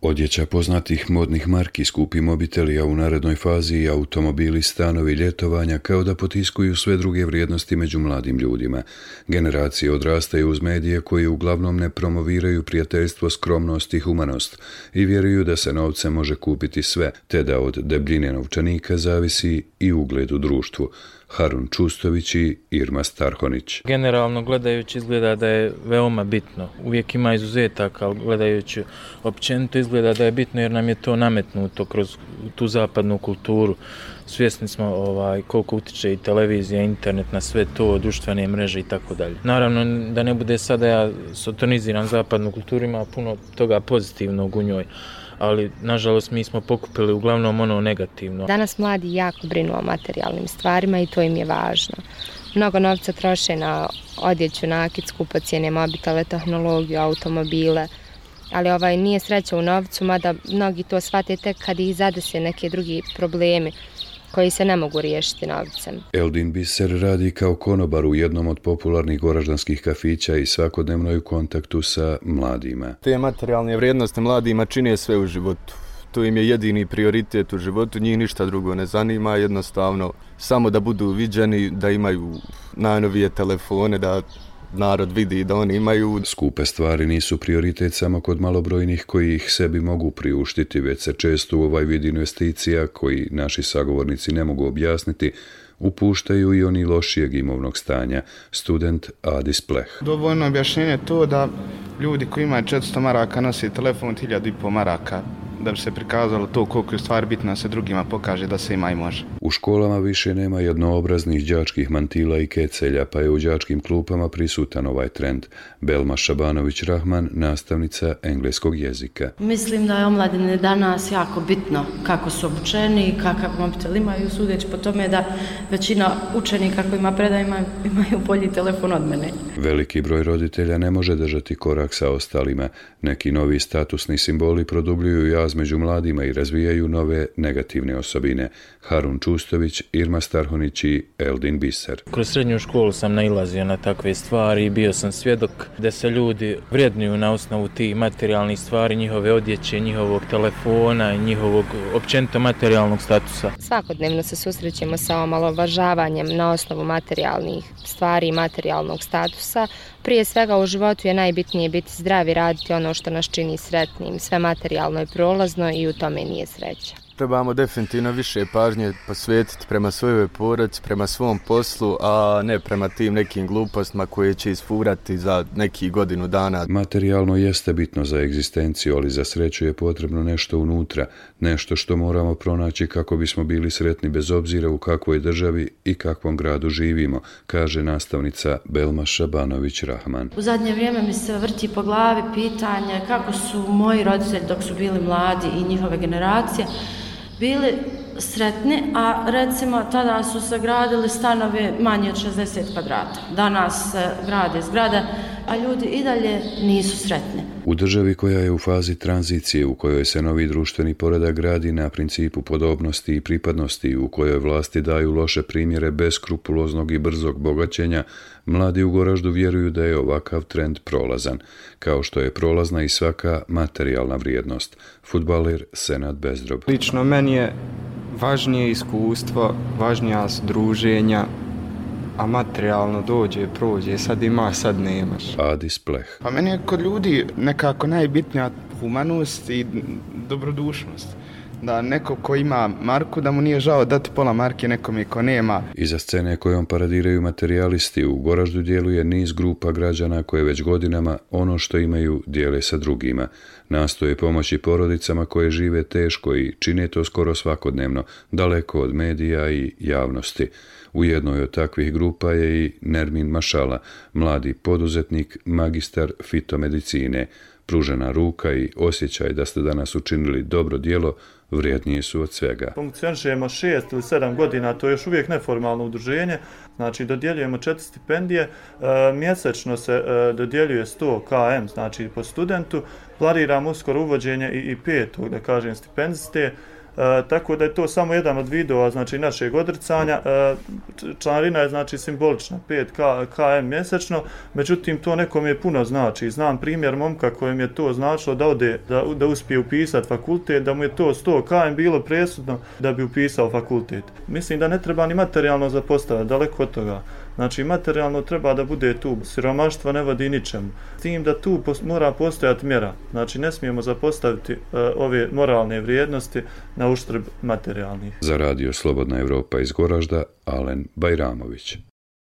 Odjeća poznatih modnih marki, skupi mobiteli, a u narednoj fazi i automobili, stanovi, ljetovanja, kao da potiskuju sve druge vrijednosti među mladim ljudima. Generacije odrastaju uz medije koji uglavnom ne promoviraju prijateljstvo, skromnost i humanost i vjeruju da se novcem može kupiti sve, te da od debljine novčanika zavisi i ugled u društvu. Harun Čustović i Irma Starhonić. Generalno gledajući izgleda da je veoma bitno. Uvijek ima izuzetaka, ali gledajući općenito izgleda da je bitno jer nam je to nametnuto kroz tu zapadnu kulturu. Svjesni smo koliko utiče i televizija, internet na sve to, društvene mreže i tako dalje. Naravno da ne bude sada ja sotoniziram zapadnu kulturu, ima puno toga pozitivnog u njoj. Ali, nažalost, mi smo pokupili uglavnom ono negativno. Danas mladi jako brinu o materijalnim stvarima i to im je važno. Mnogo novca troše na odjeću, nakit, skupocjene, mobitele, tehnologiju, automobile, ali nije sreća u novcu, mada mnogi to shvate tek kad ih zadese neke drugi problemi koji se ne mogu riješiti novcem. Eldin Biser radi kao konobar u jednom od popularnih goraždanskih kafića i svakodnevno je u kontaktu sa mladima. Te materijalne vrijednosti mladima čine sve u životu. To im je jedini prioritet u životu, njih ništa drugo ne zanima, jednostavno samo da budu viđeni, da imaju najnovije telefone, da narod vidi da oni imaju. Skupe stvari nisu prioritet samo kod malobrojnih koji ih sebi mogu priuštiti, već se često u ovaj vid investicija, koji naši sagovornici ne mogu objasniti, upuštaju i oni lošijeg imovnog stanja. Student Adis Pleh. Dovoljno objašnjenje to da ljudi koji imaju 400 maraka nose telefon 1500 maraka. Da bi se prikazalo to koliko je stvar bitna se drugima pokaže da se ima i može. U školama više nema jednoobraznih đačkih mantila i kecelja, pa je u đačkim klupama prisutan ovaj trend. Belma Šabanović-Rahman, nastavnica engleskog jezika. Mislim da je omladine danas jako bitno kako su obučeni i kakav mobitel imaju, sudeći po tome da većina učenika kojima predajima imaju bolji telefon od mene. Veliki broj roditelja ne može držati korak sa ostalima. Neki novi statusni simboli produbljuju jaz među mladima i razvijaju nove negativne osobine. Harun Čustović, Irma Starhonić i Eldin Biser. Kroz srednju školu sam nailazio na takve stvari i bio sam svjedok da se ljudi vrednuju na osnovu tih materijalnih stvari, njihove odjeće, njihovog telefona i njihovog općenito materijalnog statusa. Svakodnevno se susrećemo sa omalovažavanjem na osnovu materijalnih stvari i materijalnog statusa. Prije svega u životu je najbitnije biti zdrav i raditi ono što nas čini sretnim. Sve materijalno je prolazno i u tome nije sreća. Trebamo definitivno više pažnje posvetiti prema svojoj porodici, prema svom poslu, a ne prema tim nekim glupostima koje će isfurati za nekih godinu dana. Materijalno jeste bitno za egzistenciju, ali za sreću je potrebno nešto unutra, nešto što moramo pronaći kako bismo bili sretni bez obzira u kakvoj državi i kakvom gradu živimo, kaže nastavnica Belma Šabanović-Rahman. U zadnje vrijeme mi se vrti po glavi pitanje kako su moji roditelji dok su bili mladi i njihove generacije bili sretni, a recimo tada su se gradili stanovi manje od 60 kvadrata. Danas se grade zgrade, a ljudi i dalje nisu sretni. U državi koja je u fazi tranzicije, u kojoj se novi društveni poredak gradi na principu podobnosti i pripadnosti, u kojoj vlasti daju loše primjere beskrupuloznog i brzog bogaćenja, mladi u Goraždu vjeruju da je ovakav trend prolazan, kao što je prolazna i svaka materijalna vrijednost. Fudbaler Senad Bezdrob. Lično meni je važnije iskustvo, važnija su druženja, a materijalno dođe, prođe, sad imaš, sad nemaš. Adis Pleh. Pa meni je kod ljudi nekako najbitnija humanost i dobrodušnost. Da neko ko ima marku, da mu nije žao dati pola marke nekome ko nema. Iza scene kojom paradiraju materijalisti u Goraždu djeluje niz grupa građana koje već godinama ono što imaju dijele sa drugima. Nastoje pomoći porodicama koje žive teško i čine to skoro svakodnevno, daleko od medija i javnosti. U jednoj od takvih grupa je i Nermin Mašala, mladi poduzetnik, magistar fitomedicine. Pružena ruka i osjećaj da ste danas učinili dobro djelo vrijednije su od svega. Funkcionišemo 6 ili 7 godina, to je još uvijek neformalno udruženje, znači dodjeljujemo 4 stipendije, mjesečno se dodjeljuje 100 km, znači po studentu, planiramo uskoro uvođenje i 5. da kažem stipendiste, tako da je to samo jedan od vidova znači našeg odricanja. Članarina je znači simbolična, 5 km mjesečno, međutim to nekom je puno znači. Znam primjer momka kojem je to značilo da ode, da uspije upisati fakultet, da mu je to 100 km bilo presudno da bi upisao fakultet. Mislim da ne treba ni materijalno zapostaviti, daleko od toga. Znači, materijalno treba da bude tu. Siromaštvo ne vodi ničemu. S tim da tu mora postojati mjera. Znači, ne smijemo zapostaviti ove moralne vrijednosti na uštrb materijalnih. Za radio Slobodna Evropa iz Goražda, Alen Bajramović.